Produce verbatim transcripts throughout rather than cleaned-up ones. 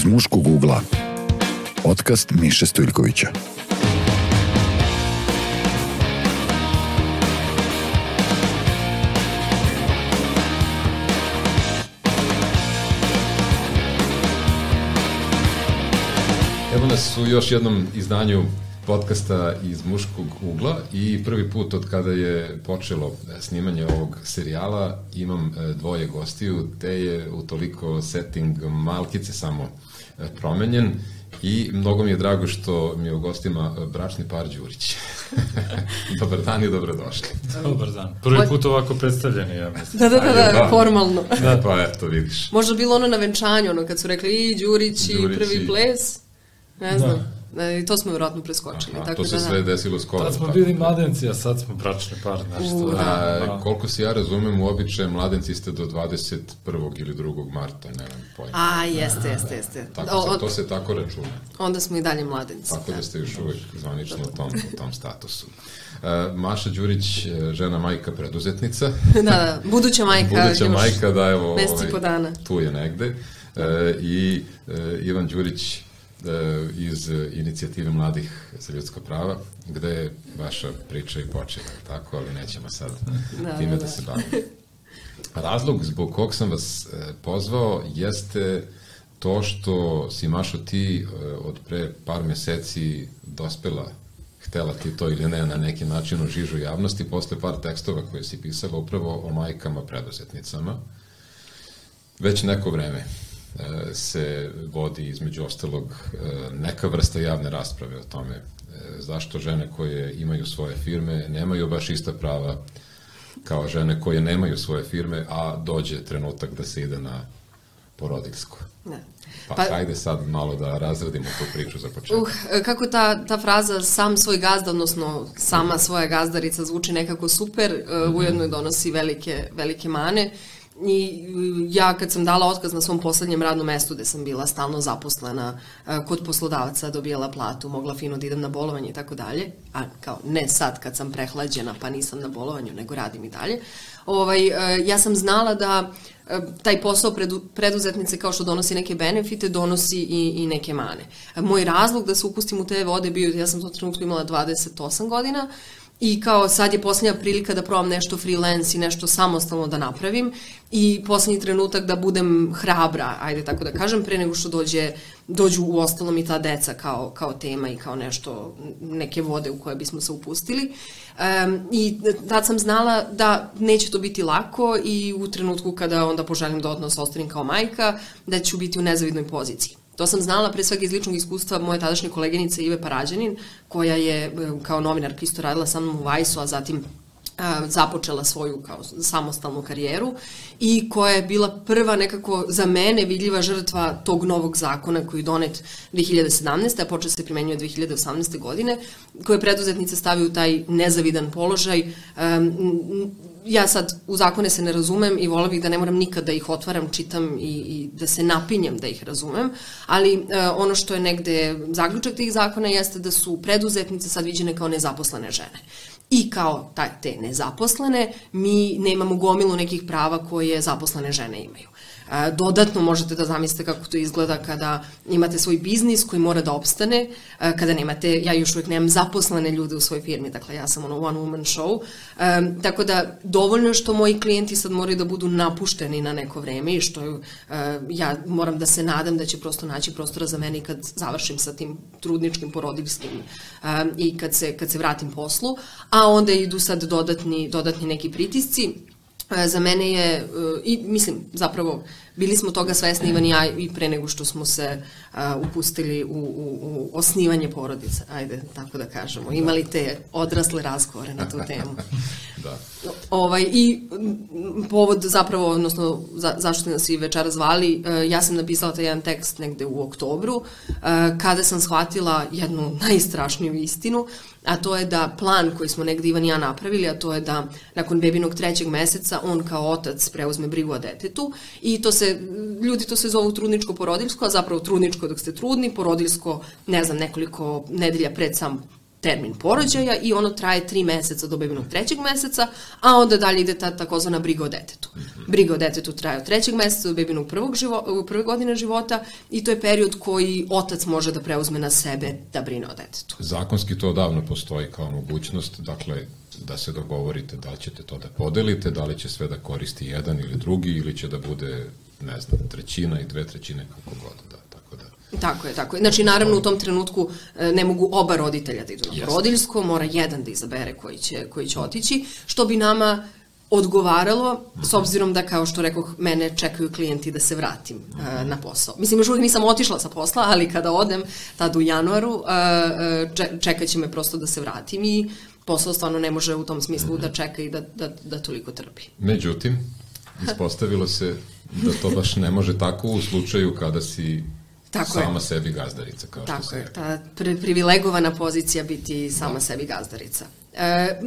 iz muškog ugla. Podcast Miše Stojljkovića. Evo nas u još jednom izdanju podcasta iz muškog ugla i prvi put od kada je počelo snimanje ovog serijala imam dvoje gostiju, te je utoliko setting malkice samo promenjen i mnogo mi je drago što mi je u gostima bračni par Đurić. Dobar dan i dobrodošli. Dobar dan. Prvi put ovako predstavljeni, ja mislim. Da, da, da, da, da, formalno. Da, pa eto, vidiš. Možda bilo ono na venčanju, ono kad su rekli i Đurić i prvi ples, ne znam. I to smo vjerojatno preskočili. Aha, tako to se da, sve desilo skoro. Tad smo bili mladenci, a sad smo bračni par. Nešto. A, da. Koliko se ja razumem, u običaju mladenci ste do dvadeset prvog ili drugog marta, nemam pojma. A, jeste, jeste, jeste. Tako se, to se tako računa. Onda smo i dalje mladenci. Tako da ste još uvijek zvanično u tom, u tom statusu. Uh, Maša Đurić, žena majka preduzetnica. Da, da, buduća majka. Buduća majka, da, evo, mesti ovaj, po dana. Tu je negde. Uh, I uh, Ivan Đurić, iz inicijative mladih za ljudska prava, gde je vaša priča i počela, tako, ali nećemo sad da, time da, da se bavimo. Razlog zbog kog sam vas pozvao jeste to što si, Mašo, ti od pre par meseci dospela, htela ti to ili ne, na neki način u žižu javnosti, posle par tekstova koje si pisala upravo o majkama preduzetnicama. Već neko vreme se vodi između ostalog neka vrsta javne rasprave o tome zašto žene koje imaju svoje firme nemaju baš ista prava kao žene koje nemaju svoje firme, a dođe trenutak da se ide na porodiljsko. Ne. Pa, pa hajde sad malo da razradimo tu priču za početak. Uh, kako ta, ta fraza sam svoj gazda, odnosno sama svoja gazdarica zvuči nekako super, uh, ujedno je donosi velike, velike mane. I ja kad sam dala otkaz na svom poslednjem radnom mestu gde sam bila stalno zaposlena kod poslodavca, dobijala platu, mogla fino da idem na bolovanje i tako dalje, a kao ne sad kad sam prehlađena pa nisam na bolovanju nego radim i dalje, ovaj, ja sam znala da taj posao predu, preduzetnice kao što donosi neke benefite, donosi i, i neke mane. Moj razlog da se upustim u te vode bio, ja sam u tom trenutku imala dvadeset osam godina, i kao sad je posljednja prilika da probam nešto freelance i nešto samostalno da napravim i posljednji trenutak da budem hrabra, ajde tako da kažem, pre nego što dođe, dođu u ostalom i ta deca kao, kao tema i kao nešto, neke vode u koje bismo se upustili. Um, I tad sam znala da neće to biti lako i u trenutku kada onda poželim da odnos ostanem kao majka, da ću biti u nezavidnoj poziciji. To sam znala pre svega iz ličnog iskustva moje tadašnje koleginice Ive Parađanin, koja je kao novinarka isto radila sa mnom u Vajsu, a zatim a, započela svoju kao samostalnu karijeru i koja je bila prva nekako za mene vidljiva žrtva tog novog zakona koji je donet dve hiljade sedamnaeste. a počeo se primenjuje dve hiljade osamnaeste. godine, koje preduzetnice stavi u taj nezavidan položaj. Um, Ja sad u zakone se ne razumem i vola bih da ne moram nikad da ih otvaram, čitam i, i da se napinjem da ih razumem, ali e, ono što je negde zaključak tih zakona jeste da su preduzetnice sad viđene kao nezaposlene žene. I kao taj, te nezaposlene mi nemamo gomilu nekih prava koje zaposlene žene imaju. Dodatno možete da zamislite kako to izgleda kada imate svoj biznis koji mora da opstane, kada nemate, ja još uvijek nemam zaposlene ljude u svojoj firmi, dakle ja sam ono one woman show, um, tako da dovoljno što moji klijenti sad moraju da budu napušteni na neko vreme i što uh, ja moram da se nadam da će prosto naći prostora za mene kad završim sa tim trudničkim, porodiljskim um, i kad se, kad se vratim poslu, a onda idu sad dodatni, dodatni neki pritisci. Za mene je, i mislim, zapravo, bili smo toga svesni, Ivan i ja, i pre nego što smo se uh, upustili u, u, u osnivanje porodice, ajde, tako da kažemo. Imali te odrasle razgovore na tu temu. Da. Ovaj, I povod zapravo, odnosno za, zašto nas i večera zvali, uh, ja sam napisala taj jedan tekst negde u oktobru, uh, kada sam shvatila jednu najstrašniju istinu, a to je da plan koji smo negde Ivan i ja napravili, a to je da nakon bebinog trećeg meseca on kao otac preuzme brigu o detetu i to se, ljudi to se zovu trudničko porodiljsko, a zapravo trudničko dok ste trudni, porodiljsko, ne znam, nekoliko nedelja pred sam termin porođaja i ono traje tri meseca do bebinog trećeg meseca, a onda dalje ide ta takozvana briga o detetu. Briga o detetu traje od trećeg meseca do bebinog prvog živo, prve godine života i to je period koji otac može da preuzme na sebe da brine o detetu. Zakonski to odavno postoji kao mogućnost, dakle, da se dogovorite da li ćete to da podelite, da li će sve da koristi jedan ili drugi ili će da bude, ne znam, trećina i dve trećine, kako god, da, tako da. Tako je, tako je. Znači, naravno, u tom trenutku ne mogu oba roditelja da idu na porodiljsko, mora jedan da izabere koji će, koji će otići, što bi nama odgovaralo, s obzirom da, kao što rekoh, mene čekaju klijenti da se vratim uh, na posao. Mislim, još uvijek nisam otišla sa posla, ali kada odem, tad u januaru, uh, čekat će me prosto da se vratim i posao stvarno ne može u tom smislu da čeka i da, da, da toliko trpi. Međutim, ispostavilo se da to baš ne može tako u slučaju kada si tako sama je. Sebi gazdarica. Kao tako što je, ta pri, privilegovana pozicija biti sama da. Sebi gazdarica. E,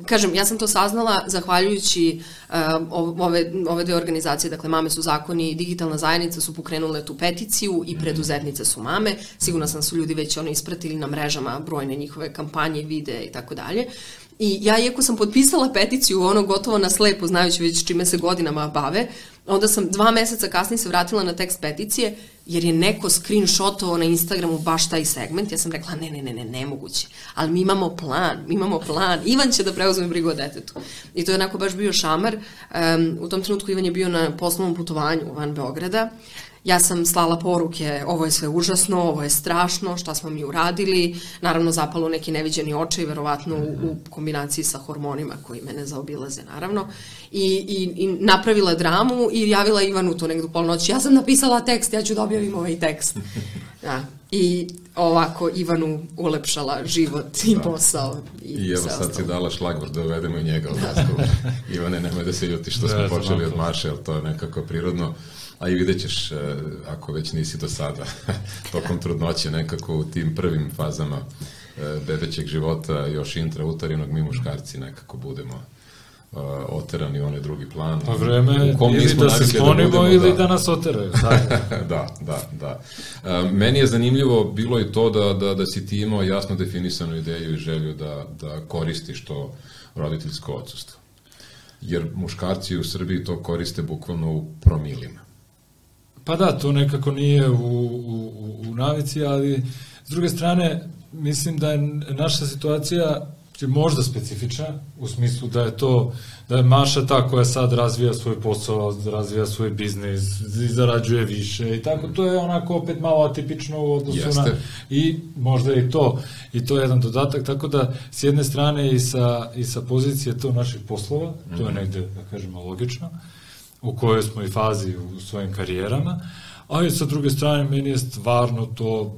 kažem, ja sam to saznala zahvaljujući uh, ove, ove dve organizacije, dakle Mame su zakoni i Digitalna zajednica su pokrenule tu peticiju i preduzetnice su mame. Sigurno sam su ljudi već ono ispratili na mrežama brojne njihove kampanje, videe i tako dalje. I ja, iako sam potpisala peticiju, ono gotovo na slepo, znajući već čime se godinama bave, onda sam dva meseca kasnije se vratila na tekst peticije, jer je neko screenshotovao na Instagramu baš taj segment. Ja sam rekla, ne, ne, ne, ne, nemoguće. Ali mi imamo plan, mi imamo plan. Ivan će da preuzme brigu o detetu. I to je onako baš bio šamar. Um, u tom trenutku Ivan je bio na poslovnom putovanju van Beograda. Ja sam slala poruke, ovo je sve užasno, ovo je strašno, šta smo mi uradili. Naravno, zapalo neki neviđeni očaj, verovatno u, u kombinaciji sa hormonima koji mene zaobilaze, naravno. I, i, i napravila dramu i javila Ivanu to negdje u polnoći. Ja sam napisala tekst, ja ću da objavim ovaj tekst. Da. I ovako Ivanu ulepšala život i da. Posao. I, I evo sad si dala šlagvort da uvedemo i njega u razgovor. Ivane, nemoj da se ljuti što smo da, počeli od Maše, ali to je nekako prirodno. A i vidjet ćeš, ako već nisi do sada, tokom trudnoće nekako u tim prvim fazama bebećeg života, još intrautarinog, mi muškarci nekako budemo oterani u onaj drugi plan. Pa vreme ili da se sklonimo da ili da, da nas oteraju. da, da, da. Meni je zanimljivo bilo i to da, da, da si ti imao jasno definisanu ideju i želju da, da koristiš to roditeljsko odsustvo. Jer muškarci u Srbiji to koriste bukvalno u promilima. Pa da, to nekako nije u, u, u navici, ali s druge strane mislim da je naša situacija možda specifična, u smislu da je to, da je Maša ta koja sad razvija svoj posao, razvija svoj biznis, zarađuje više i tako, to je onako opet malo atipično u odnosu Jeste. Na, i možda i to, i to je jedan dodatak, tako da s jedne strane i sa, i sa pozicije to naših poslova, mm-hmm. to je negde, da kažemo, logično, u kojoj smo i fazi u svojim karijerama, ali sa druge strane meni je stvarno to,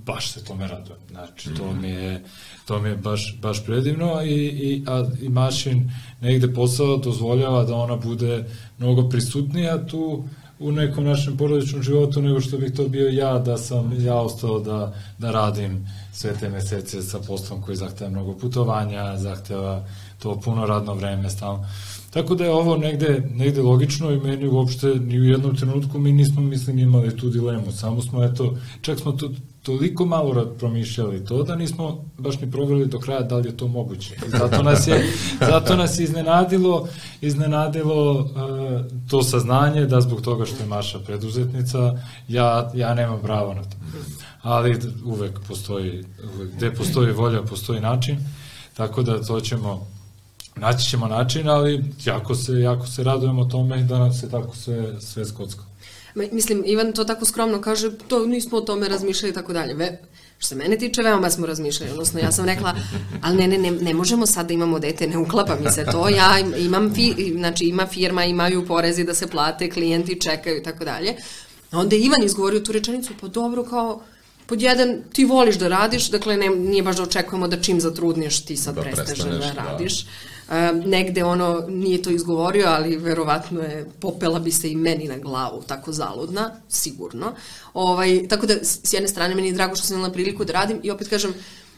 baš se tome radujem, znači to mi je, to mi je baš, baš predivno i, i, a, i Mašin negde posao dozvoljava da ona bude mnogo prisutnija tu u nekom našem porodičnom životu nego što bih to bio ja, da sam ja ostao da, da radim sve te mesece sa poslom koji zahteva mnogo putovanja, zahteva to puno radno vreme stalno. Tako da je ovo negde, negde logično i meni uopšte ni u jednom trenutku mi nismo, mislim, imali tu dilemu. Samo smo, eto, čak smo to toliko malo promišljali to da nismo baš ni proveli do kraja da li je to moguće. I zato nas je, zato nas je iznenadilo, iznenadilo uh, to saznanje da zbog toga što je Maša preduzetnica, ja, ja nemam pravo na to. Ali uvek postoji, uvek, gde postoji volja, postoji način, tako da to ćemo naći ćemo način, ali jako se, jako se radujemo tome da nam se tako sve, sve skocka. Mislim, Ivan to tako skromno kaže, to nismo o tome razmišljali i tako dalje. Što se mene tiče, veoma smo razmišljali, odnosno ja sam rekla, ali ne, ne, ne, ne možemo sad da imamo dete, ne uklapa mi se to, ja imam, fi, znači ima firma, imaju porezi da se plate, klijenti čekaju i tako dalje. Onda je Ivan izgovorio tu rečenicu, pa dobro, kao, pod jedan, ti voliš da radiš, dakle ne, nije baš da očekujemo da čim zatrudneš ti sad da prestaneš da radiš. Da. Um, negde ono nije to izgovorio, ali verovatno je popela bi se i meni na glavu, tako zaludna, sigurno. Ovaj, tako da s jedne strane meni je drago što sam imala priliku da radim i opet kažem,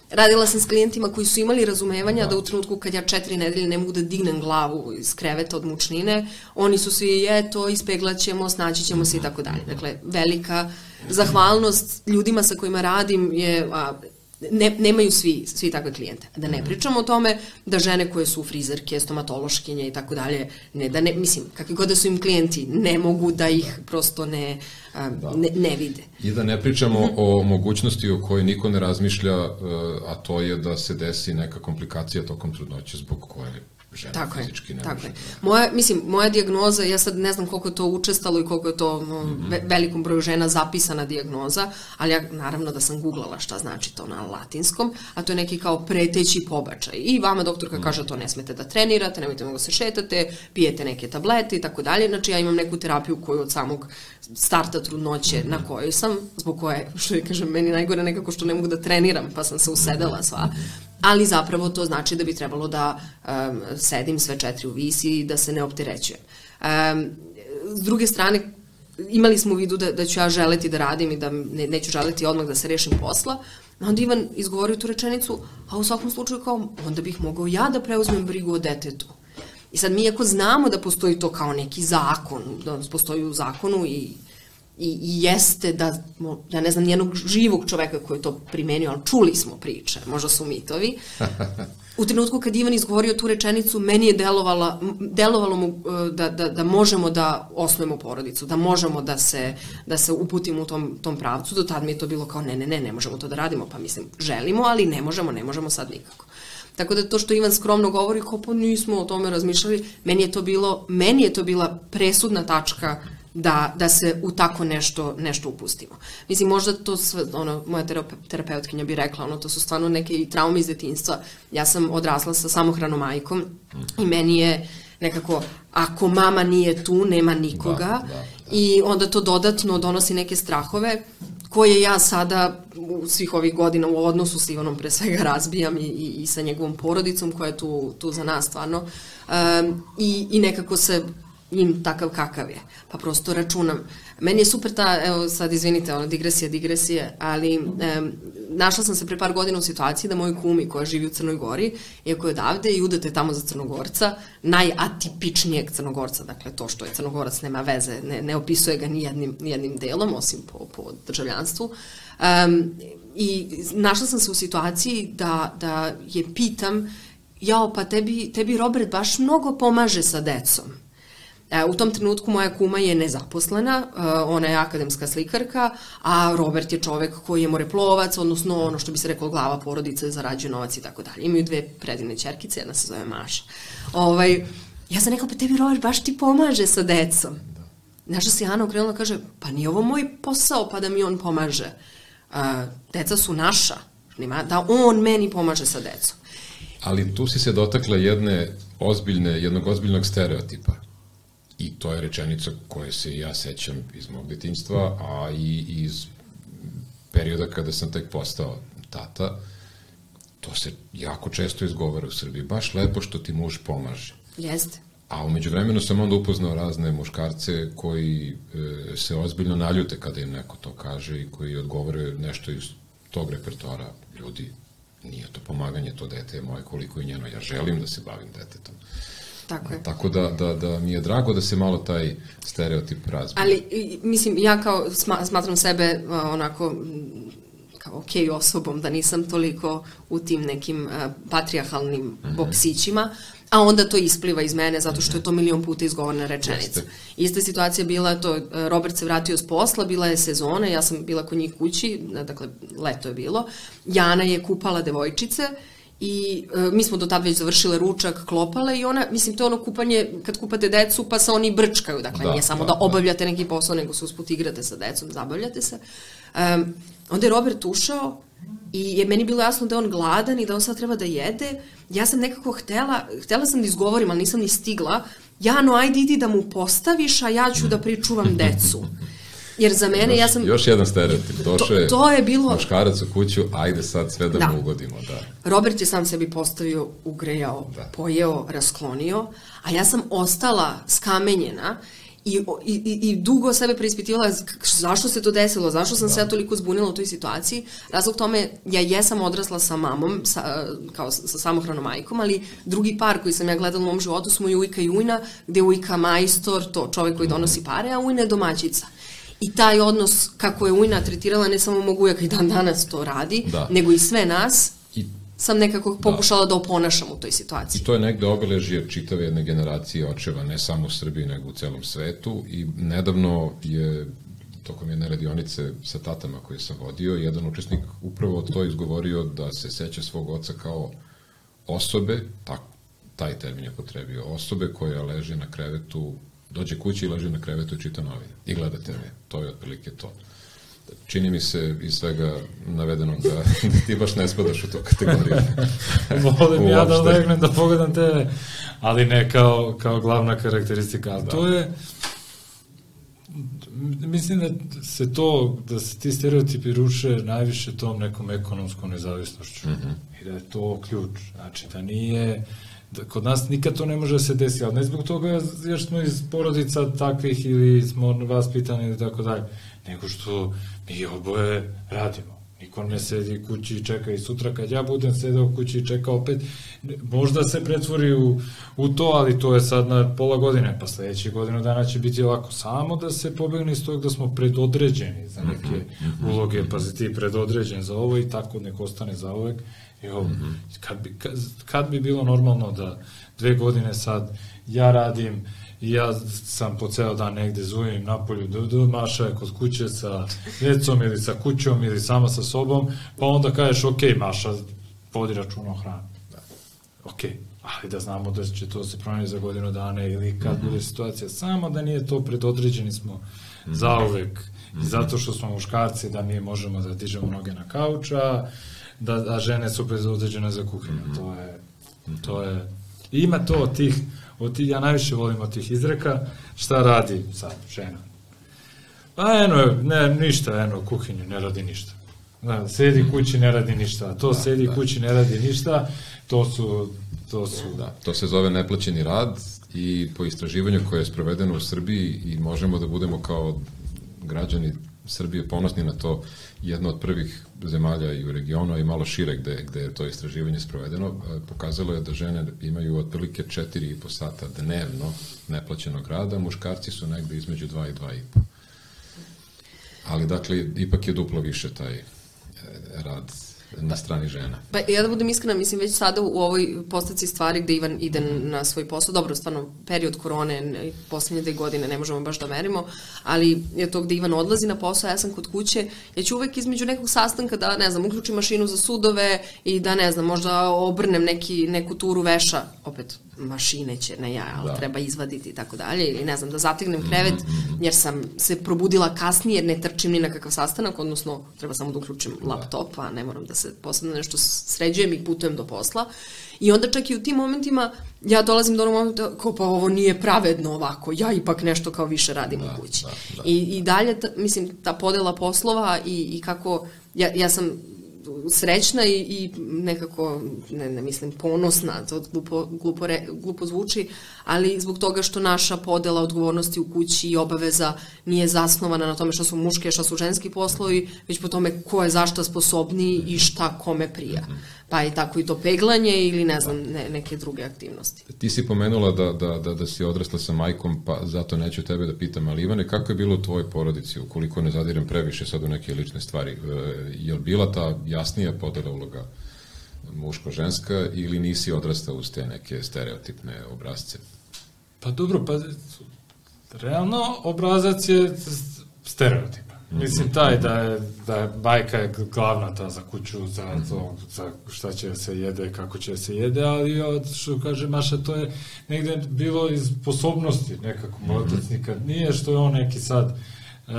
radila sam s klijentima koji su imali razumevanja da, da u trenutku kad ja četiri nedelje ne mogu da dignem glavu iz kreveta od mučnine, oni su svi, eto, ispeglaćemo, snaći ćemo se i tako dalje. Dakle, velika zahvalnost ljudima sa kojima radim je a, ne, nemaju svi, svi takve klijente. Da ne pričamo o tome da žene koje su frizerke, stomatološkinje i tako dalje, ne, da ne, mislim, kakvi god da su im klijenti, ne mogu da ih prosto ne, um, ne, ne vide. I da ne pričamo mm-hmm. o mogućnosti o kojoj niko ne razmišlja, a to je da se desi neka komplikacija tokom trudnoće zbog koje žena tako fizički ne tako može. Je. Moja, mislim, moja dijagnoza, ja sad ne znam koliko je to učestalo i koliko je to no, mm-hmm. ve, velikom broju žena zapisana dijagnoza, ali ja naravno da sam googlala šta znači to na latinskom, a to je neki kao preteći pobačaj. I vama doktorka mm-hmm. kaže to ne smete da trenirate, nemojte mnogo se šetate, pijete neke tablete i tako dalje. Znači ja imam neku terapiju koju od samog starta trudnoće mm-hmm. na kojoj sam, zbog koje, što je kažem, meni najgore nekako što ne mogu da treniram, pa sam se usedela sva. Ali zapravo to znači da bi trebalo da um, sedim sve četiri u visi i da se ne opterećujem. Um, s druge strane, imali smo u vidu da, da ću ja želeti da radim i da ne, neću želeti odmah da se rešim posla. Onda Ivan izgovorio tu rečenicu, a u svakom slučaju kao, onda bih mogao ja da preuzmem brigu o detetu. I sad mi ako znamo da postoji to kao neki zakon, da postoji u zakonu i I, i jeste da, ja ne znam nijednog živog čoveka koji je to primenio, ali čuli smo priče, možda su mitovi. U trenutku kad Ivan izgovorio tu rečenicu, meni je delovala, delovalo mu da, da, da možemo da osnujemo porodicu, da možemo da se, da se uputimo u tom, tom pravcu. Do tad mi je to bilo kao ne, ne, ne, ne možemo to da radimo, pa mislim, želimo, ali ne možemo, ne možemo sad nikako. Tako da to što Ivan skromno govori, kao pa nismo o tome razmišljali, meni je to bilo, meni je to bila presudna tačka da, da se u tako nešto, nešto upustimo. Mislim, možda to sve, ono, moja terapeutkinja bi rekla, ono, to su stvarno neke traume iz detinjstva. Ja sam odrasla sa samohranom majkom i meni je nekako, ako mama nije tu, nema nikoga da, da, da. I onda to dodatno donosi neke strahove koje ja sada u svih ovih godina u odnosu s Ivanom pre svega razbijam i, i, i sa njegovom porodicom koja je tu, tu za nas stvarno um, i, i nekako se im takav kakav je, pa prosto računam. Meni je super ta, evo sad izvinite, ono, digresija, digresije, ali um, našla sam se pre par godina u situaciji da moj kumi koja živi u Crnoj Gori, iako je odavde i udate tamo za Crnogorca, najatipičnijeg Crnogorca, dakle to što je Crnogorac nema veze, ne, ne opisuje ga ni jednim, ni jednim delom, osim po, po državljanstvu. Um, I našla sam se u situaciji da, da je pitam, jao, pa tebi, tebi Robert baš mnogo pomaže sa decom. U tom trenutku moja kuma je nezaposlena, ona je akademska slikarka, a Robert je čovek koji je moreplovac, odnosno ono što bi se reklo glava porodice, zarađuje novac i tako dalje. Imaju dve predivne ćerkice, jedna se zove Maša. Ovaj, ja sam rekla, pa tebi Robert baš ti pomaže sa decom. Znaš se Ana okrenula i kaže, pa nije ovo moj posao pa da mi on pomaže. A, deca su naša, da on meni pomaže sa decom. Ali tu si se dotakla jedne ozbiljne, jednog ozbiljnog stereotipa. I to je rečenica koje se ja sećam iz mog detinjstva, a i iz perioda kada sam tek postao tata. To se jako često izgovara u Srbiji. Baš lepo što ti muž pomaže. Jeste. A umeđu vremenu sam onda upoznao razne muškarce koji e, se ozbiljno naljute kada im neko to kaže i koji odgovore nešto iz tog repertoara. Ljudi, nije to pomaganje, to dete je moje koliko i njeno. Ja želim da se bavim detetom. Tako je. Tako da, da, da mi je drago da se malo taj stereotip razbije. Ali, mislim, ja kao smatram sebe onako kao okej osobom, da nisam toliko u tim nekim uh, patrijarhalnim mm-hmm. boksićima, a onda to ispliva iz mene zato što je to milion puta izgovorna rečenica. Jeste. Ista situacija bila, to Robert se vratio s posla, bila je sezona, ja sam bila kod njih kući, dakle leto je bilo, Jana je kupala devojčice i e, mi smo do tad već završile ručak, klopale i ona, mislim, to je ono kupanje, kad kupate decu pa se oni brčkaju, dakle da, nije samo da, da obavljate neki posao, nego se usput igrate sa decom, zabavljate se. Um, onda je Robert ušao i je meni bilo jasno da je on gladan i da on sad treba da jede. Ja sam nekako htela, htela sam da izgovorim, ali nisam ni stigla. Jano, ajde idi da mu postaviš, a ja ću da pričuvam decu. Jer za mene, još, ja sam... Još jedan stereotip, došao je, to je bilo... muškarac u kuću, ajde sad sve da, da mu ugodimo. Da. Robert je sam sebi postavio, ugrejao, da. Pojeo, rasklonio, a ja sam ostala skamenjena i, i, i dugo sebe preispitivala zašto se to desilo, zašto sam da. se ja toliko zbunila u toj situaciji. Razlog tome, ja jesam odrasla sa mamom, sa, kao sa samohranom majkom, ali drugi par koji sam ja gledala u mom životu su moj ujka i ujna, gde je ujka majstor, to čovek koji donosi pare, a ujna je domaćica. i taj odnos kako je Ujna tretirala ne samo mog ujaka i dan danas to radi, da. nego i sve nas, I, sam nekako pokušala da, da oponašam u toj situaciji. I to je negde obeležje čitave jedne generacije očeva, ne samo u Srbiji, nego u celom svetu i nedavno je tokom jedne radionice sa tatama koje sam vodio, jedan učesnik upravo to izgovorio da se seća svog oca kao osobe, tak, taj termin je potrebio, osobe koja leže na krevetu, dođe kući i leže na krevetu i čita novine i gleda te ve. To je otprilike to. Čini mi se iz svega navedenog da, da ti baš ne spadaš u tu kategoriju. Volim ja da legnem da pogledam te ve, ali ne kao, kao glavna karakteristika. Ali da. To je, mislim da se to, da se ti stereotipi ruše najviše tom nekom ekonomskom nezavisnošću. Mm-hmm. I da je to ključ. Znači da nije, da kod nas nikad to ne može da se desi, ali ne zbog toga jer smo iz porodica takvih ili smo vaspitani ili tako dalje, nego što mi oboje radimo. Niko ne sedi kući i čeka i sutra kad ja budem sedeo kući i čeka opet, možda se pretvori u, u to, ali to je sad na pola godine, pa sledećih godinu dana će biti lako. Samo da se pobegne iz tog da smo predodređeni za neke uloge, pa si ti predodređen za ovo i tako neko ostane za uvek. Jo, kad, bi, kad, kad bi bilo normalno da dve godine sad ja radim i ja sam po ceo dan negde zujim napolju, do, do, Maša je kod kuće sa djecom ili sa kućom ili sama sa sobom, pa onda kažeš ok, Maša, vodi račun o hranu. Ok, ali da znamo da će to se promeniti za godinu dana ili kad bude situacija, samo da nije to predodređeni smo zauvek i zato što smo muškarci da mi možemo da dižemo noge na kauča, da, a žene su predodređene za kuhinju. To je, to je, ima to od tih, od tih, ja najviše volim od tih izreka, šta radi sad žena? Pa eno, ne, ništa, eno, kuhinju, ne radi ništa. Da, sedi kući, ne radi ništa. To da, sedi da. kući, ne radi ništa, to su, to su... Da, to se zove neplaćeni rad i po istraživanju koje je sprovedeno u Srbiji i možemo da budemo kao građani Srbije ponosni na to, jedna od prvih zemalja i u regionu i malo šire gde, gde je to istraživanje sprovedeno, pokazalo je da žene imaju otprilike četiri i po sata dnevno neplaćenog rada, muškarci su negde između dva i dva i po. Ali dakle, ipak je duplo više taj rad na strani žena. Pa ja da budem iskrena, mislim već sada u ovoj postavci stvari gde Ivan ide na svoj posao, dobro, stvarno period korone, poslednje dve godine ne možemo baš da merimo, ali je to gde Ivan odlazi na posao, ja sam kod kuće, ja ću uvek između nekog sastanka da, ne znam, uključim mašinu za sudove i da, ne znam, možda obrnem neki, neku turu veša, opet mašine će, ne ja, ali da. treba izvaditi i tako dalje, ili ne znam, da zategnem krevet, jer sam se probudila kasnije, jer ne trčim ni na kakav sastanak, odnosno treba samo da uključim laptop, a ne moram da se posebno nešto sređujem i putujem do posla. I onda čak i u tim momentima ja dolazim do onog momenta kao pa ovo nije pravedno ovako, ja ipak nešto kao više radim da, u kući. Da, da, I, i dalje, ta, mislim, ta podela poslova i, i kako, ja, ja sam srećna i, i nekako, ne, ne mislim, ponosna, to glupo, glupo, re, glupo zvuči, ali zbog toga što naša podela odgovornosti u kući i obaveza nije zasnovana na tome što su muške, što su ženski poslovi, već po tome ko je zašta sposobniji i šta kome prija. Pa i tako i to peglanje ili ne znam, ne, neke druge aktivnosti. Ti si pomenula da, da, da, da si odrasla sa majkom, pa zato neću tebe da pitam, ali Ivane, kako je bilo u tvojoj porodici, ukoliko ne zadirem previše sad u neke lične stvari? E, je li bila ta jasnija podela uloga muško-ženska ili nisi odrastao uz te neke stereotipne obrazce? Pa dobro, pa realno obrazac je stereotip. Mislim, taj da je, da je bajka je glavna ta za kuću, za to, za šta će se jede, kako će se jede, ali od, što kaže Maša, to je negde bilo iz sposobnosti nekako, otac nikad nije, što je on neki sad e,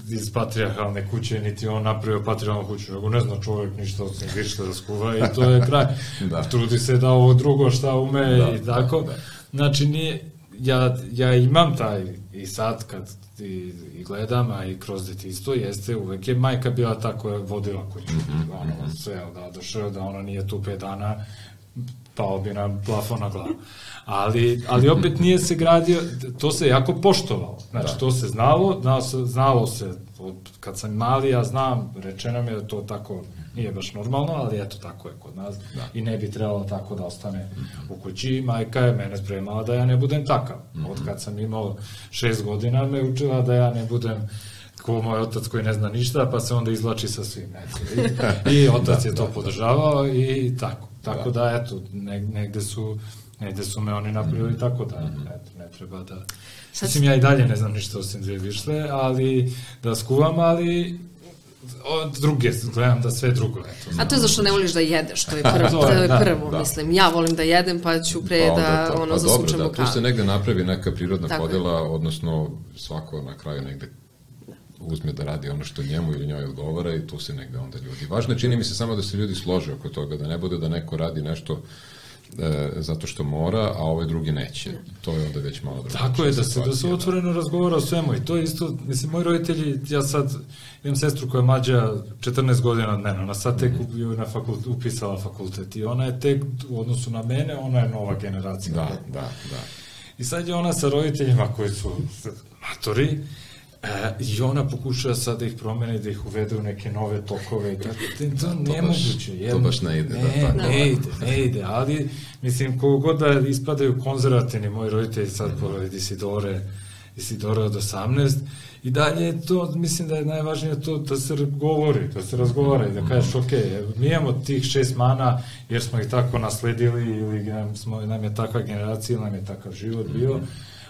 iz patrijarhalne kuće, niti on napravio patrijarhalnu kuću, nego ne zna čovjek ništa osim višta da skuva i to je kraj. Da. Trudi se da ovo drugo šta ume da, i tako. Da, da. Znači, nije, ja, ja imam taj i sad kad i, i gledam, a i kroz detinjstvo jeste, uvek je majka bila ta koja vodila kuću. Mm-hmm. Ono, sve da došao, da ona nije tu pet dana, pao bi na plafon na glavu. Ali, ali opet nije se gradio, to se jako poštovalo. Znači, da. to se znalo, znalo se, znalo se od, kad sam mali, ja znam, rečeno mi je da to tako Nije baš normalno, ali eto, tako je kod nas. Da. I ne bi trebalo tako da ostane mm-hmm. u kući. Majka je mene spremala da ja ne budem takav. Mm-hmm. Od kad sam imao šest godina me učila da ja ne budem ko moj otac koji ne zna ništa, pa se onda izvlači sa svim. I, i otac da, je to da, podržavao i tako. Tako da, da eto, negde su, negde su me oni napravili mm-hmm. tako da, eto, ne treba da... Mislim, ja i dalje ne znam ništa osim dvije višle, ali da skuvam, ali od druge, gledam da sve drugo. Eto, a to je zašto ne voliš da jedeš, to je prvo, to je prvo da, mislim. Ja volim da jedem, pa ću pre pa da to, ono pa zasučem dobro, u kavu. Tu se negde napravi neka prirodna tako podela, je. Odnosno svako na kraju negde uzme da radi ono što njemu ili njoj odgovara i tu se negde onda ljudi. Važno je, čini mi se samo da se ljudi slože oko toga, da ne bude da neko radi nešto e, zato što mora, a ovaj drugi neće. To je onda već malo drugačije. Tako je, da se, da se otvoreno razgovara o svemu i to je isto, mislim, moji roditelji, ja sad imam sestru koja je mlađa četrnaest godina od mene, ona sad tek mm-hmm. na fakult, upisala fakultet i ona je tek u odnosu na mene, ona je nova generacija. Da, da, da. I sad je ona sa roditeljima koji su matori, E, i ona pokušava sad da ih promene, da ih uvede u neke nove tokove, da, to, to nemoguće. To baš ne ide. Ne, da, tako. ne ide, ne ide, ali mislim, kogo god da ispadaju konzervativni, moji roditelji sad mm-hmm. pored Isidore, Isidore od osamnaest, i dalje je to, mislim da je najvažnije to da se govori, da se razgovara i da kažeš, ok, mi imamo tih šest mana jer smo ih tako nasledili ili nam, smo, nam je takva generacija, nam je takav život bio,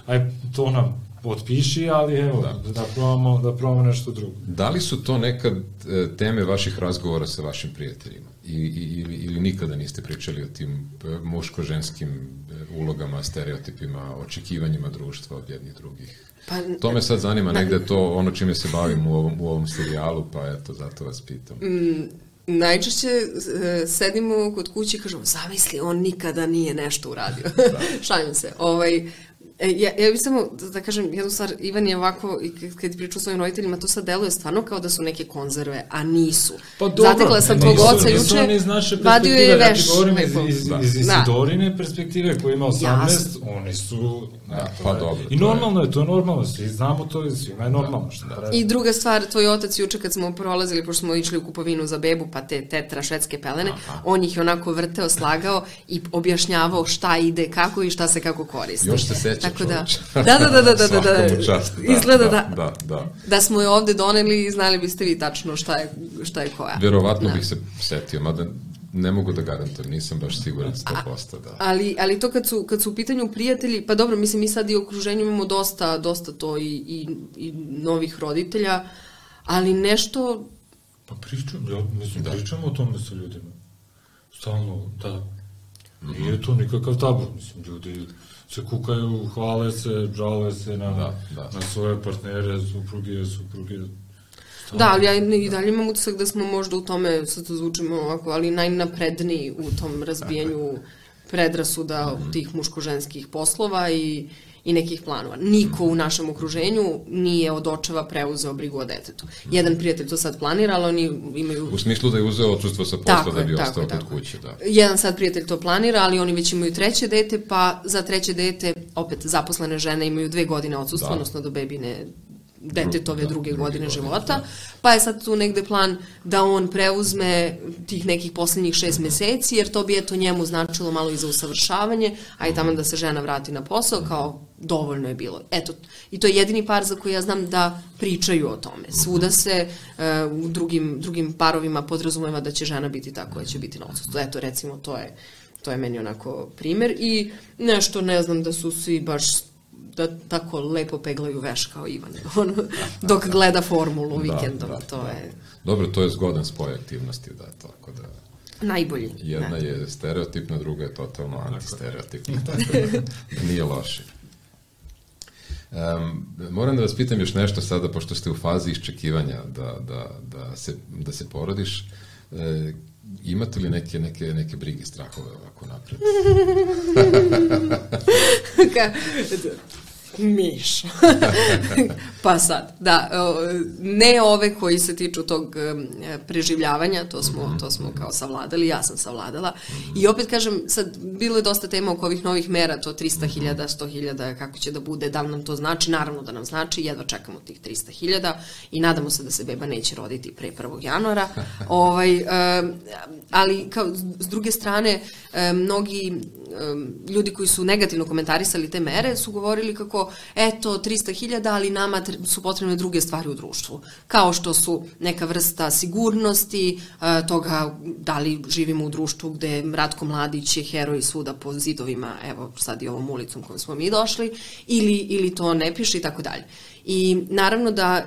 aj to nam potpiši, ali evo, da, da, probamo, da probamo nešto drugo. Da li su to nekad e, teme vaših razgovora sa vašim prijateljima? I, i, ili, ili nikada niste pričali o tim muško-ženskim ulogama, stereotipima, očekivanjima društva od jednih drugih? Pa, to me sad zanima, na, negde to ono čime se bavim u ovom, u ovom serijalu, pa eto, zato vas pitam. Mm, najčešće e, sedimo kod kuće i kažemo, zamisli, on nikada nije nešto uradio. Šalim se. Ovaj, Ja, ja bih samo, da kažem, jednu stvar, Ivan je ovako, kad pričao svojim roditeljima, to sad deluje stvarno kao da su neke konzerve, a nisu. Pa dobro, zatekla sam tvog oca juče, vadio je veš. Ja ti govorim iz, iz, iz Isidorine perspektive, koji ima osamnaest, jasno. Oni su... Da, pa je, dobro. I normalno je, to je normalno, svi znamo to, svima je normalno. Što da. I druga stvar, tvoj otac juče kad smo prolazili, pošto smo išli u kupovinu za bebu, pa te tetra švedske pelene, aha. On ih je onako vrteo, slagao i objašnjavao šta ide, kako i šta se kako koristi. Još se seća. Tako da, da, da, da, da, da, da, čast, da, izgleda da, da, da, da, da smo je ovde doneli i znali biste vi tačno šta je, šta je koja. Verovatno da. Bih se setio, mada ne mogu da garantujem, nisam baš siguran sto posto, da. Ali, ali to kad su, kad su u pitanju prijatelji, pa dobro, mislim, mi sad i u okruženju imamo dosta, dosta to i, i, i novih roditelja, ali nešto... Pa pričam, ja mislim, da. Pričamo o tome sa ljudima. Stalno, da. Nije to nikakav tabu, mislim, ljudi se kukaju, hvale se, žale se na, da, da. Na svoje partnere, supruge, supruge. Stavno. Da, ali ja i dalje imam utisak da smo možda u tome, sad to zvučimo ovako, ali najnapredniji u tom razbijanju predrasuda mm-hmm. tih muško-ženskih poslova i, i nekih planova. Niko u našem okruženju nije od očeva preuzeo brigu o detetu. Jedan prijatelj to sad planira, ali oni imaju... U smislu da je uzeo odsustvo sa posla da bi ostao kod kuće, da. Jedan sad prijatelj to planira, ali oni već imaju treće dete, pa za treće dete, opet zaposlene žene imaju dve godine odsustva, da. Odnosno do bebine detetove da, druge, druge godine, godine života, da. Pa je sad tu negde plan da on preuzme tih nekih posljednjih šest meseci, jer to bi eto njemu značilo malo i za usavršavanje, a i tamo da se žena vrati na posao, kao dovoljno je bilo. Eto, i to je jedini par za koji ja znam da pričaju o tome. Svuda se uh, u drugim, drugim parovima podrazumeva da će žena biti ta koja će biti na odsustvu. Eto, recimo, to je, to je meni onako primer i nešto, ne znam, da su svi baš da tako lepo peglaju veš kao Ivan, on, dok gleda formulu vikendom, da, da, to da. Je... Dobro, to je zgodan spoj aktivnosti, da, tako da... Najbolji. Jedna ne. Je stereotipna, druga je totalno antistereotipna, tako da nije loše. Um, moram da vas pitam još nešto sada, pošto ste u fazi iščekivanja da, da, da, se, da se porodiš, e, imate li neke, neke, neke brige, strahove ovako napred? Ka... Mišo. Pa sad, da, ne ove koji se tiču tog preživljavanja, to smo, to smo kao savladali, ja sam savladala. I opet kažem, sad, bilo je dosta tema oko ovih novih mera, to trista hiljada, sto hiljada, kako će da bude, da li nam to znači, naravno da nam znači, jedva čekamo tih trista hiljada i nadamo se da se beba neće roditi pre prvog januara. ovaj, ali, kao, s druge strane, mnogi ljudi koji su negativno komentarisali te mere su govorili kako, eto, trista hiljada, ali nama su potrebne druge stvari u društvu, kao što su neka vrsta sigurnosti, toga da li živimo u društvu gde Ratko Mladić je heroj svuda po zidovima, evo sad i ovom ulicom kojom smo mi došli, ili, ili to ne piše i tako dalje. I naravno da,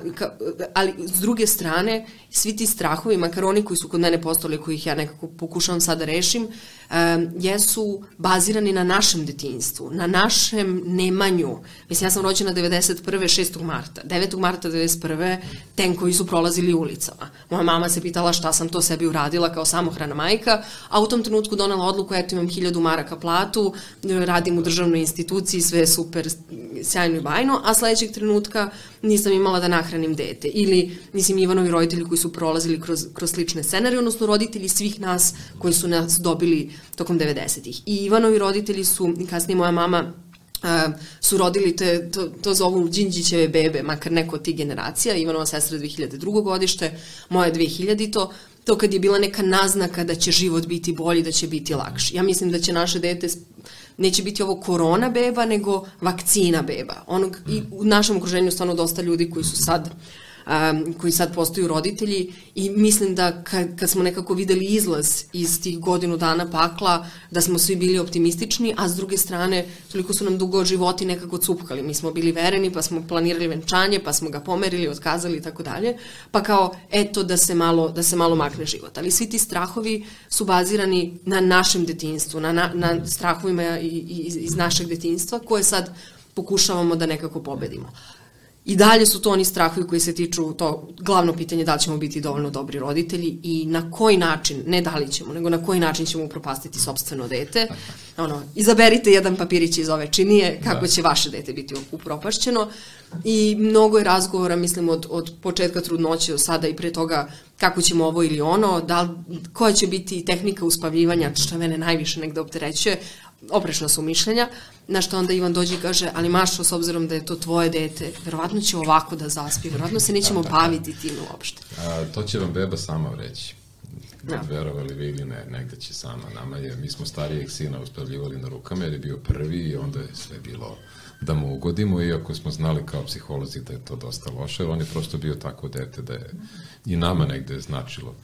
ali s druge strane, svi ti strahovi, makar oni koji su kod mene postali, kojih ja nekako pokušavam sad da rešim, um, jesu bazirani na našem detinjstvu, na našem nemanju. Mislim, ja sam rođena devedeset prve šestog marta. devetog marta devedeset prve tenkovi su prolazili ulicama. Moja mama se pitala šta sam to sebi uradila kao samohrana majka, a u tom trenutku donela odluku, eto imam hiljadu maraka platu, radim u državnoj instituciji, sve je super, sjajno i bajno, a sledećeg trenutka nisam imala da nahranim dete. Ili, mislim, Ivanovi roditelji koji su prolazili kroz, kroz slične scenarije, odnosno roditelji svih nas koji su nas dobili tokom devedesetih. I Ivanovi roditelji su, kasnije moja mama, Uh, su rodili te, to, to zovu Đinđićeve bebe, makar neko od tih generacija. Ivanova sestra dve hiljade drugo godište, moja dve hiljadite to, to kad je bila neka naznaka da će život biti bolji, da će biti lakši. Ja mislim da će naše dete, neće biti ovo korona beba, nego vakcina beba. Onog, i u našem okruženju stvarno dosta ljudi koji su sad Um, koji sad postaju roditelji i mislim da kad, kad smo nekako videli izlaz iz tih godinu dana pakla, da smo svi bili optimistični, a s druge strane toliko su nam dugo životi nekako cupkali. Mi smo bili vereni, pa smo planirali venčanje, pa smo ga pomerili, otkazali i tako dalje, pa kao eto da se malo, da se malo makne život. Ali svi ti strahovi su bazirani na našem detinjstvu, na, na, na strahovima iz, iz našeg detinjstva koje sad pokušavamo da nekako pobedimo. I dalje su to oni strahovi koji se tiču to glavno pitanje da li ćemo biti dovoljno dobri roditelji i na koji način, ne da li ćemo, nego na koji način ćemo upropastiti sopstveno dete. Ono, izaberite jedan papirić iz ove činije kako će vaše dete biti upropašćeno. I mnogo je razgovora, mislim, od, od početka trudnoće do sada i pre toga kako ćemo ovo ili ono, da li, koja će biti tehnika uspavljivanja, što mene najviše negde opterećuje, oprečna su mišljenja, na što onda Ivan dođe i kaže, ali Mašo, s obzirom da je to tvoje dete, verovatno će ovako da zaspi, verovatno se nećemo baviti tim uopšte. A, to će vam beba sama reći. Da. Verovali vi ili ne, negde će sama. Nama je, mi smo starijeg sina uspavljivali na rukama jer je bio prvi i onda je sve bilo da mu ugodimo, iako smo znali kao psiholozi da je to dosta loše, on je prosto bio tako dete da je i nama negde značilo.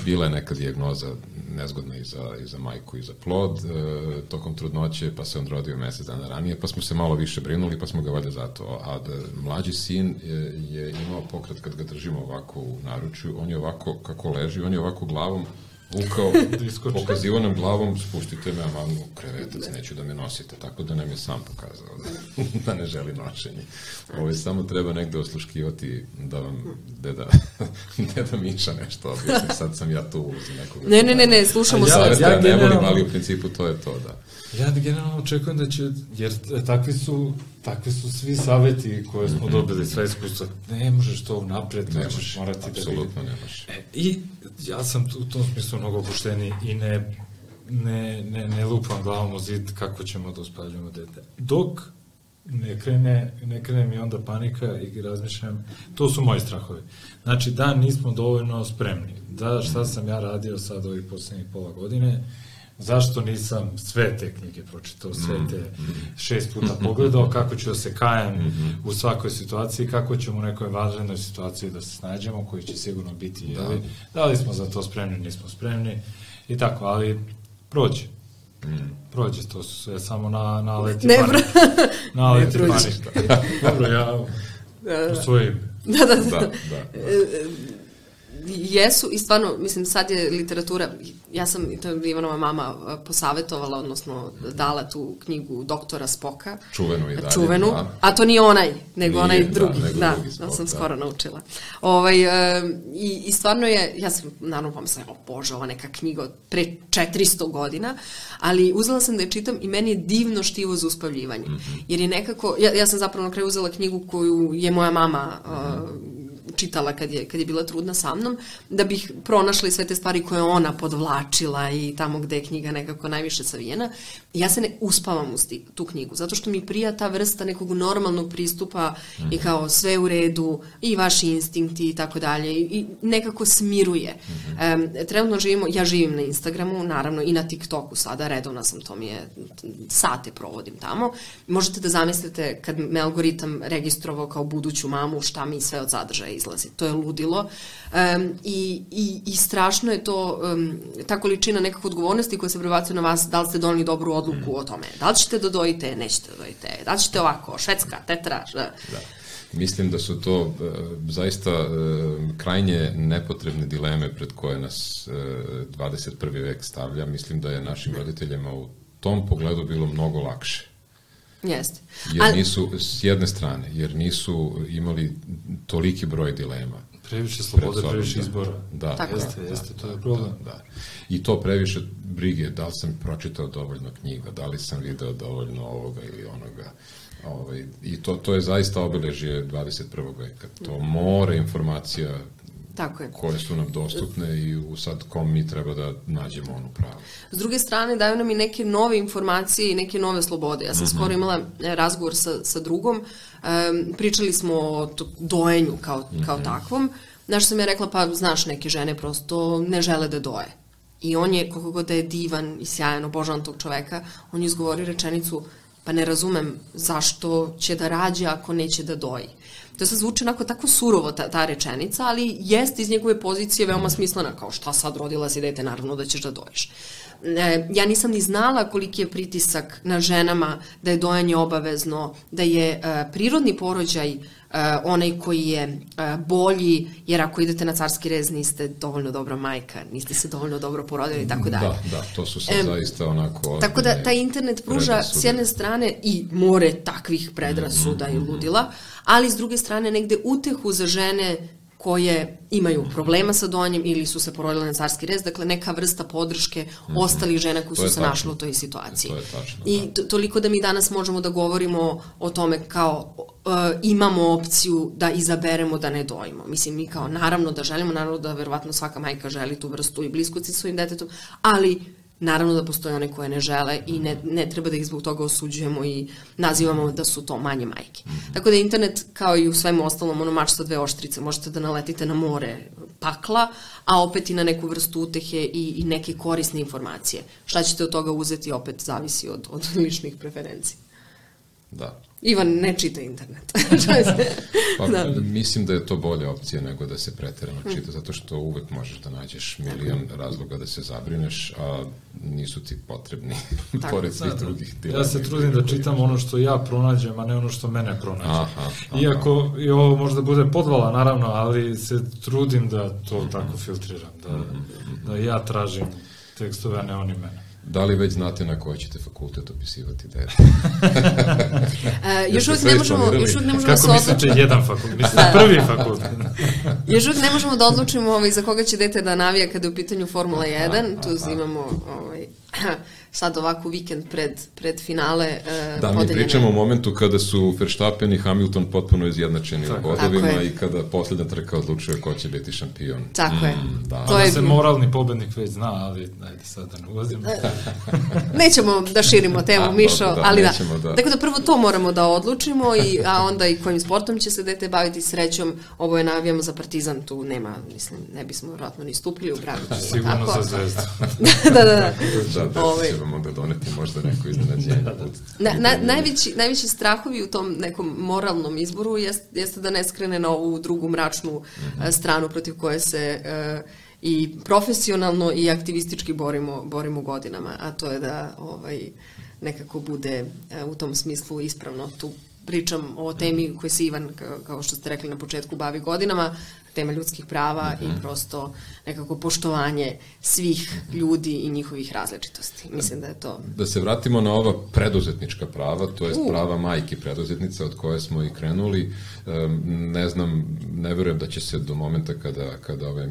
Bila je neka dijagnoza nezgodna i za, i za majku i za plod e, tokom trudnoće, pa se on rodio mesec dana ranije, pa smo se malo više brinuli, pa smo ga valjda zato. A da, mlađi sin je, je imao pokret kad ga držimo ovako u naručju, on je ovako, kako leži, on je ovako glavom ukao, pokazivo nam glavom, spustite me, a mamu u krevetac, neću da me nosite, tako da nam je sam pokazao da, da ne želi nošenje. Ovo samo treba negde osluškivati da vam deda, deda Miša nešto objasni, sad sam ja tu ulozi nekoga. Ne, ne, ne, ne, slušamo se. Ja, ja ne volim, ali u principu to je to, da. Ja generalno očekujem da će, jer takvi su, takvi su svi saveti koje smo dobili, sve iskustva, ne možeš to napred, to ćeš morati da... Apsolutno ne možeš. E, I ja sam u tom smislu mnogo opušteniji i ne, ne, ne, ne lupam glavom u zid kako ćemo da uspavljamo dete. Dok ne krene, ne krene mi onda panika i razmišljam, to su moji strahovi. Znači da nismo dovoljno spremni, da šta sam ja radio sad ovih poslednjih pola godine, zašto nisam sve te knjige pročitao, sve te šest puta pogledao, kako ću da se kajem u svakoj situaciji, kako ćemo u nekoj važnoj situaciji da se snađemo, koji će sigurno biti, jeli, da li smo za to spremni, nismo spremni i tako, ali prođe. Prođe, to su sve samo na, na leti panika. Na leti panika. Dobro, ja u svojim. Da, da, da. da, da. jesu i stvarno, mislim, sad je literatura, ja sam, to je Ivanova mama posavetovala, odnosno dala tu knjigu doktora Spoka. Čuvenu i dalje. Čuvenu, da. a to nije onaj, nego nije, onaj drugi. Da, nego da, drugi Spok, da sam da. skoro naučila. Ovaj, e, i, I stvarno je, ja sam naravno pomislila, o Bože, ova neka knjiga od pre četiristo godina, ali uzela sam da je čitam i meni je divno štivo za uspavljivanje. Mm-hmm. Jer je nekako, ja, ja sam zapravo na kraju uzela knjigu koju je moja mama mm-hmm. uh, čitala kad je, kad je bila trudna sa mnom, da bih pronašla i sve te stvari koje ona podvlačila i tamo gde je knjiga nekako najviše savijena. I ja se ne uspavam uz tu knjigu, zato što mi prija ta vrsta nekog normalnog pristupa mm-hmm. i kao sve u redu, i vaši instinkti i tako dalje, i nekako smiruje. Mm-hmm. Um, trenutno živimo, ja živim na Instagramu, naravno i na TikToku sada, redovna sam, to mi je, sate provodim tamo. Možete da zamislite kad me algoritam registrovao kao buduću mamu, šta mi sve od sadržaja izlazi. To je ludilo. Um, i, i, I strašno je to, um, ta količina nekakve odgovornosti koja se prebacuje na vas, da li ste doneli dobru odluku mm. o tome. Da li ćete da dojite, nećete da dojite. Da li ćete ovako, švedska, tetra. Da. Mislim da su to uh, zaista uh, krajnje nepotrebne dileme pred koje nas uh, dvadeset prvi vek stavlja. Mislim da je našim roditeljima u tom pogledu bilo mnogo lakše. Jeste. Jer nisu, s jedne strane, jer nisu imali toliki broj dilema. Previše slobode, previše izbora. Da, tako jeste, da, jeste, da, to je problem. Da, da. I to previše brige, da li sam pročitao dovoljno knjiga, da li sam video dovoljno ovoga ili onoga. Ovaj, I to, to je zaista obeležje dvadeset prvog veka. To more informacija tako je. Koje su nam dostupne i u sad kom mi treba da nađemo onu pravu. S druge strane, daju nam i neke nove informacije i neke nove slobode. Ja sam mm-hmm. skoro imala razgovor sa, sa drugom, um, pričali smo o dojenju kao, mm-hmm. kao takvom, znaš sam ja rekla, pa znaš, neke žene prosto ne žele da doje. I on je, koliko god da je divan i sjajan, obožavam tog čoveka, on je izgovorio rečenicu, pa ne razumem zašto će da rađe ako neće da doji. To se zvuči onako tako surovo ta, ta rečenica, ali jest iz njegove pozicije veoma smislena, kao šta sad rodila si dete, naravno da ćeš da dojiš. E, ja nisam ni znala koliki je pritisak na ženama da je dojanje obavezno, da je e, prirodni porođaj e, onaj koji je e, bolji, jer ako idete na carski rez niste dovoljno dobra majka, niste se dovoljno dobro porodili i tako dalje. Da, da, to su sad e, zaista onako... Tako da taj internet pruža predrasude. S jedne strane i more takvih predrasuda mm-hmm. i ludila, ali s druge strane negde utehu za žene koje imaju problema sa dojenjem ili su se porodile na carski rez, dakle neka vrsta podrške mm-hmm. ostalih žena koji su se našli u toj situaciji. To je tačno, I to, toliko da mi danas možemo da govorimo o tome kao uh, imamo opciju da izaberemo da ne dojimo. Mislim, mi kao naravno da želimo, naravno da verovatno svaka majka želi tu vrstu i bliskosti sa svojim detetom, ali naravno da postoje one koje ne žele i ne, ne treba da ih zbog toga osuđujemo i nazivamo da su to manje majke. Mm-hmm. Tako da internet, kao i u svemu ostalom, ono mač sa dve oštrice, možete da naletite na more pakla, a opet i na neku vrstu utehe i, i neke korisne informacije. Šta ćete od toga uzeti, opet zavisi od, od ličnih preferencija. Da. Ivan ne čita internet. Pa, da. Mislim da je to bolja opcija nego da se preterano čita, zato što uvek možeš da nađeš milion razloga da se zabrineš, a nisu ti potrebni pored svih da, drugih dilema. Ja se trudim da čitam ono što ja pronađem, a ne ono što mene pronađe. Aha, aha. Iako i ovo možda bude podvala, naravno, ali se trudim da to mm-hmm. tako filtriram, da, mm-hmm. da ja tražim tekstove, a ne oni mene. Da li već znate na koji ćete fakultet opisivati dete? uh, još uvijek ne možemo, još uvijek ne možemo Kako mislite jedan fakultet? Mislite prvi fakultet? Još uvijek ne možemo da odlučimo ovaj, za koga će dete da navija kada je u pitanju Formula jedan. Tu imamo ovaj, sad ovako vikend pred, pred finale uh, da, mi pričamo o momentu kada su Verstappen i Hamilton potpuno izjednačeni u bodovima i kada posljednja trka odlučuje ko će biti šampion. Tako mm, je. Da. To je se moralni pobednik već zna, ali ajde sad da ne ulazimo. Nećemo da širimo temu, a, Mišo, da, ali da. da. Dakle, da prvo to moramo da odlučimo, i, a onda i kojim sportom će se dete baviti. Srećom, ovo je navijamo za Partizan, tu nema, mislim, ne bismo vjerojatno ni stupili u gradu. Sigurno za Zvezdu. da, da, da. Da, da, Ove. će vam onda doneti možda neko iznenađenje. Na, na, najveći, najveći strahovi u tom nekom moralnom izboru jest, jeste da ne skrene na ovu drugu mračnu mm-hmm. stranu protiv koje se uh, i profesionalno i aktivistički borimo, borimo godinama, a to je da ovaj, nekako bude uh, u tom smislu ispravno tu pričam o temi koje se Ivan, kao što ste rekli na početku, bavi godinama, tema ljudskih prava mm-hmm. i prosto nekako poštovanje svih ljudi i njihovih različitosti. Mislim da je to... Da se vratimo na ova preduzetnička prava, to je uh. prava majki preduzetnica od koje smo i krenuli. Ne znam, ne verujem da će se do momenta kada, kada ove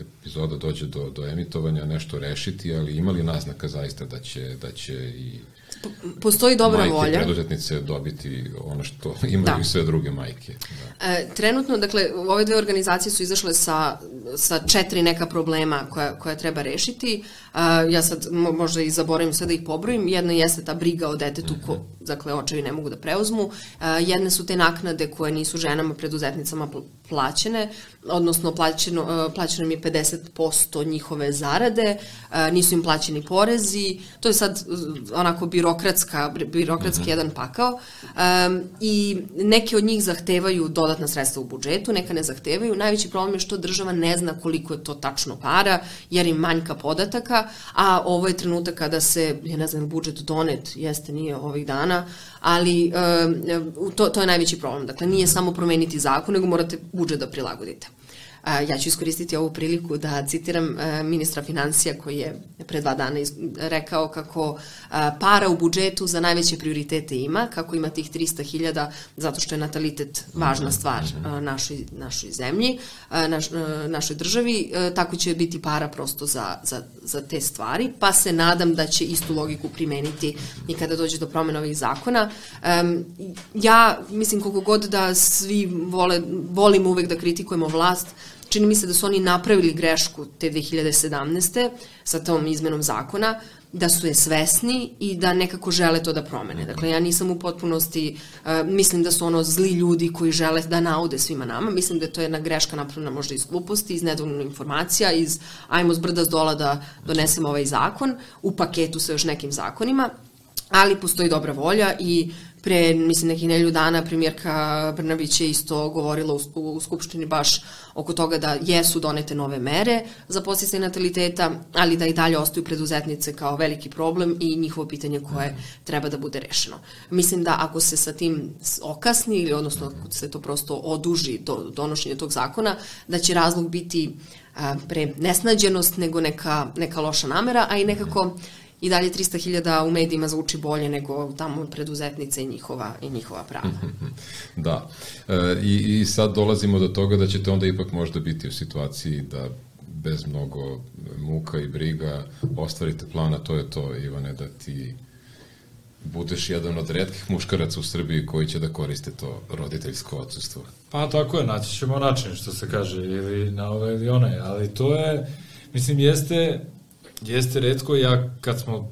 epizoda dođe do, do emitovanja nešto rešiti, ali ima li naznaka zaista da će, da će i postoji dobra majke volja. Preduzetnice dobiti ono što imaju i sve druge majke. Da. E, trenutno, dakle, ove dve organizacije su izašle sa, sa četiri neka problema koja, koja treba rešiti. E, ja sad možda i zaboravim sve da ih pobrojim. Jedna jeste ta briga o detetu, ko, dakle, očevi ne mogu da preuzmu. E, jedne su te naknade koje nisu ženama preduzetnicama plaćene, odnosno plaćeno, plaćeno im je pedeset posto njihove zarade, nisu im plaćeni porezi, to je sad onako birokratska, birokratski mm-hmm. jedan pakao um, i neke od njih zahtevaju dodatna sredstva u budžetu, neka ne zahtevaju. Najveći problem je što država ne zna koliko je to tačno para, jer im manjka podataka, a ovo je trenutak kada se, ja ne znam, budžet donet, jeste, nije ovih dana, ali um, to, to je najveći problem. Dakle, nije samo promeniti zakon, nego morate budžet da prilagodite. Ja ću iskoristiti ovu priliku da citiram ministra financija koji je pre dva dana rekao kako para u budžetu za najveće prioritete ima, kako ima tih trista hiljada zato što je natalitet važna stvar našoj, našoj zemlji, naš, našoj državi, tako će biti para prosto za, za, za te stvari, pa se nadam da će istu logiku primeniti i kada dođe do promena ovih zakona. Ja mislim koliko god da svi vole, volimo uvek da kritikujemo vlast, čini mi se da su oni napravili grešku te dve hiljade sedamnaeste sa tom izmenom zakona, da su je svesni i da nekako žele to da promene. Dakle, ja nisam u potpunosti, uh, mislim da su ono zli ljudi koji žele da naude svima nama, mislim da je to jedna greška napravljena možda iz gluposti, iz nedovoljno informacija, iz ajmo s brda s dola da donesemo ovaj zakon, u paketu sa još nekim zakonima, ali postoji dobra volja i pre, mislim, nekih nedelju dana premijerka Brnabić je isto govorila u, u Skupštini baš oko toga da jesu donete nove mere za podsticaj nataliteta, ali da i dalje ostaju preduzetnice kao veliki problem i njihovo pitanje koje treba da bude rešeno. Mislim da ako se sa tim okasni ili odnosno ako se to prosto oduži do donošenja tog zakona, da će razlog biti a, pre nesnađenost nego neka, neka loša namera, a i nekako i dalje trista hiljada u medijima zvuči bolje nego tamo preduzetnice i njihova, i njihova prava. Da. E, i, I sad dolazimo do toga da ćete onda ipak možda biti u situaciji da bez mnogo muka i briga ostvarite plana, to je to, Ivane, da ti budeš jedan od retkih muškaraca u Srbiji koji će da koriste to roditeljsko odsustvo. Pa tako je, naći ćemo način, što se kaže, ili na ove ili one, ali to je, mislim, jeste... Jeste retko, ja kad smo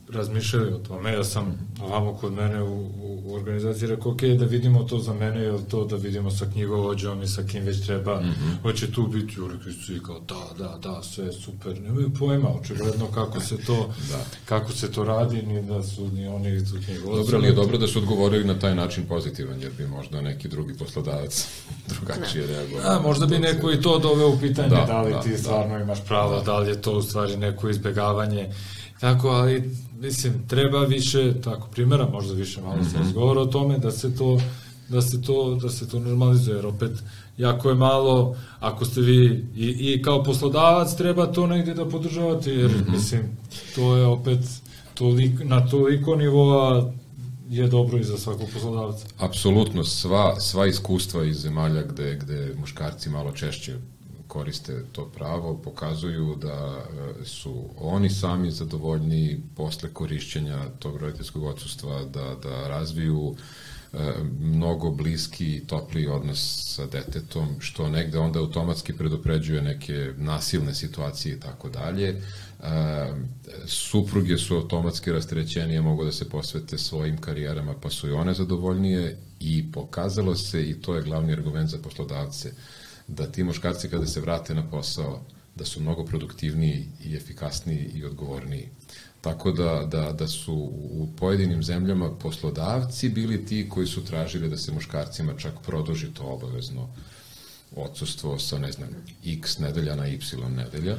razmišljali o tome, ja sam ovamo kod mene u, u, u organizaciji rekao, ok, da vidimo to za mene, ili to da vidimo sa knjigovođom i sa kim već treba, mm-hmm. hoće tu biti, rekli su i kao, da, da, da, sve je super, nemaju pojma, očigledno kako se to, da. kako se to radi, ni da su ni oni su knjigovođi. Dobro, ali je dobro da su odgovorili na taj način pozitivan, jer bi možda neki drugi poslodavac drugačije reagovao. A, možda bi neko i to doveo u pitanje, da, da li da, ti stvarno da, imaš pravo, da. da li je to u stvari neko izbegavanje, tako, ali mislim, treba više, tako, primjera, možda više malo mm-hmm. se razgovara o tome, da se to, da se to, da se to normalizuje, jer opet, jako je malo, ako ste vi, i, i kao poslodavac treba to negdje da podržavate, jer, mm-hmm. mislim, to je opet, toliko, na toliko nivoa je dobro i za svakog poslodavca. Apsolutno, sva, sva iskustva iz zemalja gde, gde muškarci malo češće koriste to pravo, pokazuju da su oni sami zadovoljni posle korišćenja tog roditeljskog odsustva, da, da razviju e, mnogo bliski i topliji odnos sa detetom, što negde onda automatski predopređuje neke nasilne situacije i tako dalje. Supruge su automatski rasterećenije, mogu da se posvete svojim karijerama, pa su i one zadovoljnije i pokazalo se, i to je glavni argument za poslodavce, da ti muškarci kada se vrate na posao, da su mnogo produktivniji i efikasniji i odgovorniji. Tako da, da, da su u pojedinim zemljama poslodavci bili ti koji su tražili da se muškarcima čak produži to obavezno odsustvo sa, ne znam, x nedelja na y nedelja.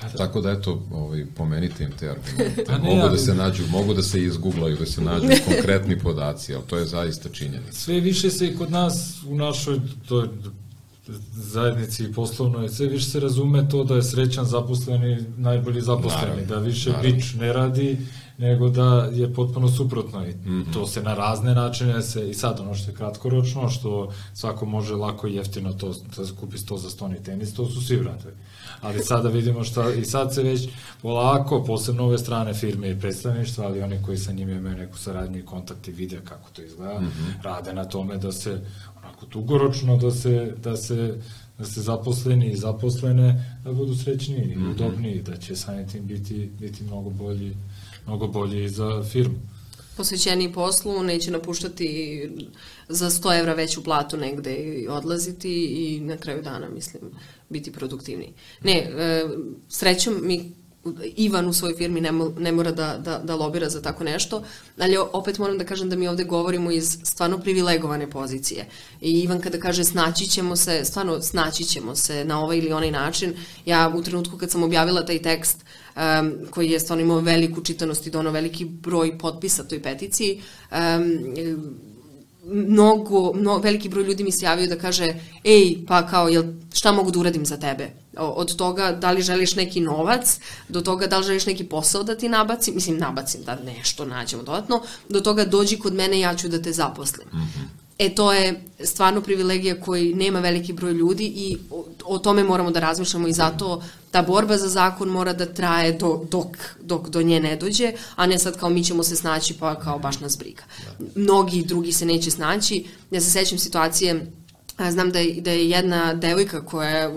Pa da. Tako da, eto, ovaj, pomenite im te argumente. Pa ne, mogu ali... da se nađu, mogu da se izguglaju, da se nađu konkretni podaci, ali to je zaista činjenica. Sve više se i kod nas, u našoj toj zajednici poslovnoj, sve više se razume to da je srećan zaposleni najbolji zaposleni, naravno, da više naravno. Bič ne radi, nego da je potpuno suprotno i mm-hmm. to se na razne načine se, i sad ono što je kratkoročno, što svako može lako i jeftino to, da kupi sto za stoni tenis, to su svi vratovi. Ali sada vidimo šta, i sad se već polako, posebno ove strane firme i predstavništva, ali oni koji sa njima imaju neku saradnju i kontakt i vide kako to izgleda, mm-hmm. rade na tome da se onako dugoročno, da se, da se, da se zaposleni i zaposlene da budu srećniji i mm-hmm. udobniji, da će samim tim biti, biti mnogo bolji, mnogo bolji za firmu. Posvećeni poslu, neće napuštati za sto evra veću platu negde i odlaziti i na kraju dana, mislim, biti produktivniji. Ne, e, srećom mi Ivan u svojoj firmi ne, ne mora da, da, da lobira za tako nešto, ali opet moram da kažem da mi ovde govorimo iz stvarno privilegovane pozicije. I Ivan kada kaže snaći ćemo se, stvarno snaći ćemo se na ovaj ili onaj način, ja u trenutku kad sam objavila taj tekst um, koji je stvarno imao veliku čitanost i donao veliki broj potpisa toj peticiji, um, mnogo, mnogo, veliki broj ljudi mi se javio da kaže ej, pa kao, jel, šta mogu da uradim za tebe? Od toga da li želiš neki novac, do toga da li želiš neki posao da ti nabacim, mislim nabacim da nešto nađemo dodatno, do toga dođi kod mene, ja ću da te zaposlim. Mm-hmm. E to je stvarno privilegija koji nema veliki broj ljudi i o, o tome moramo da razmišljamo i zato ta borba za zakon mora da traje do, dok, dok do nje ne dođe, a ne sad kao mi ćemo se snaći pa kao baš nas briga. Mnogi drugi se neće snaći. Ja se sećam situacije, znam da je, da je jedna devojka koja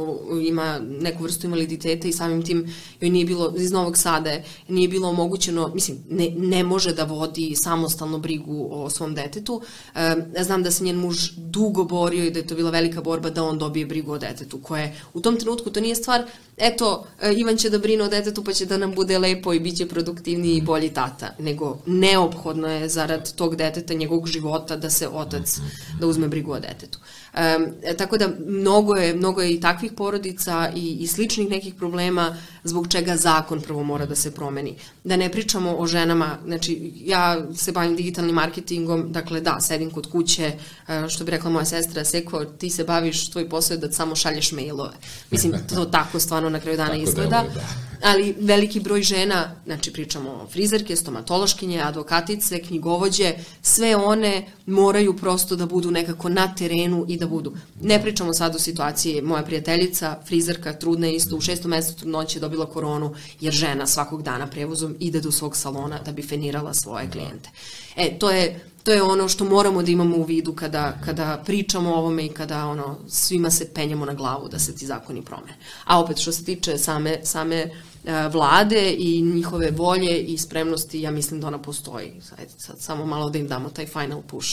ima neku vrstu invaliditeta i samim tim joj nije bilo, iz Novog Sada nije bilo omogućeno, mislim, ne, ne može da vodi samostalno brigu o svom detetu. E, znam da se njen muž dugo borio i da je to bila velika borba da on dobije brigu o detetu, koje u tom trenutku to nije stvar, eto, Ivan će da brine o detetu pa će da nam bude lepo i bit će produktivniji i bolji tata, nego neophodno je zarad tog deteta, njegovog života da se otac, da uzme brigu o detetu. Um, tako da mnogo je, mnogo je i takvih porodica i, i sličnih nekih problema zbog čega zakon prvo mora da se promeni. Da ne pričamo o ženama, znači ja se bavim digitalnim marketingom, dakle da, sedim kod kuće, što bi rekla moja sestra, Seko, ti se baviš, tvoj posao je da samo šalješ mailove. Mislim, to tako stvarno na kraju dana izgleda. Da. Ali veliki broj žena, znači pričamo o frizerke, stomatološkinje, advokatice, knjigovođe, sve one moraju prosto da budu nekako na terenu i da budu. Ne pričamo sad o situaciji, moja prijateljica, frizerka, trudna je isto, u šestom mesecu trudnoće je dobila koronu, jer žena svakog dana prevozom ide do svog salona da bi fenirala svoje klijente. E, to je, to je ono što moramo da imamo u vidu kada, kada pričamo o ovome i kada ono, svima se penjamo na glavu da se ti zakoni promene. A opet, što se tiče same, same vlade i njihove volje i spremnosti, ja mislim da ona postoji. Sad, sad samo malo da im damo taj final push.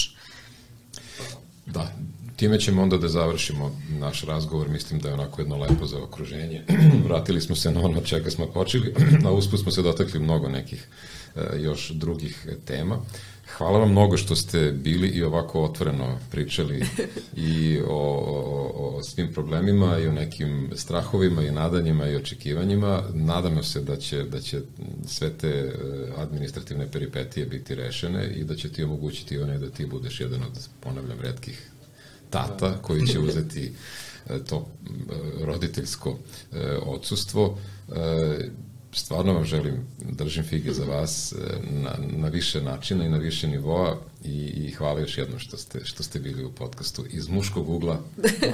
Da, time ćemo onda da završimo naš razgovor, mislim da je onako jedno lepo zaokruženje. Vratili smo se na ono čega smo počeli, a usput smo se dotakli mnogo nekih e, još drugih tema. Hvala vam mnogo što ste bili i ovako otvoreno pričali i o, o, o svim problemima i o nekim strahovima i nadanjima i očekivanjima. Nadamo se da će, da će sve te administrativne peripetije biti rešene i da će ti omogućiti one da ti budeš jedan od, ponavljam, retkih tata koji će uzeti to roditeljsko odsustvo. Stvarno vam želim, držim fige za vas na, na više načina i na više nivoa i, i hvala još jednom što ste, što ste bili u podcastu iz muškog ugla,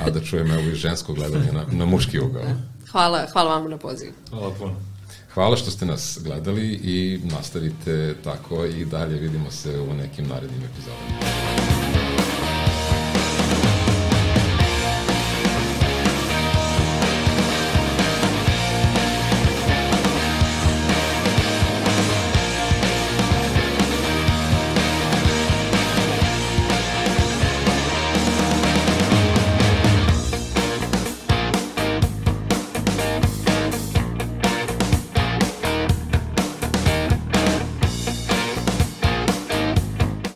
a da čujem evo i žensko gledanje na, na muški ugao. Hvala, hvala vam na pozivu. Hvala puno. Hvala što ste nas gledali i nastavite tako i dalje, vidimo se u nekim narednim epizodama.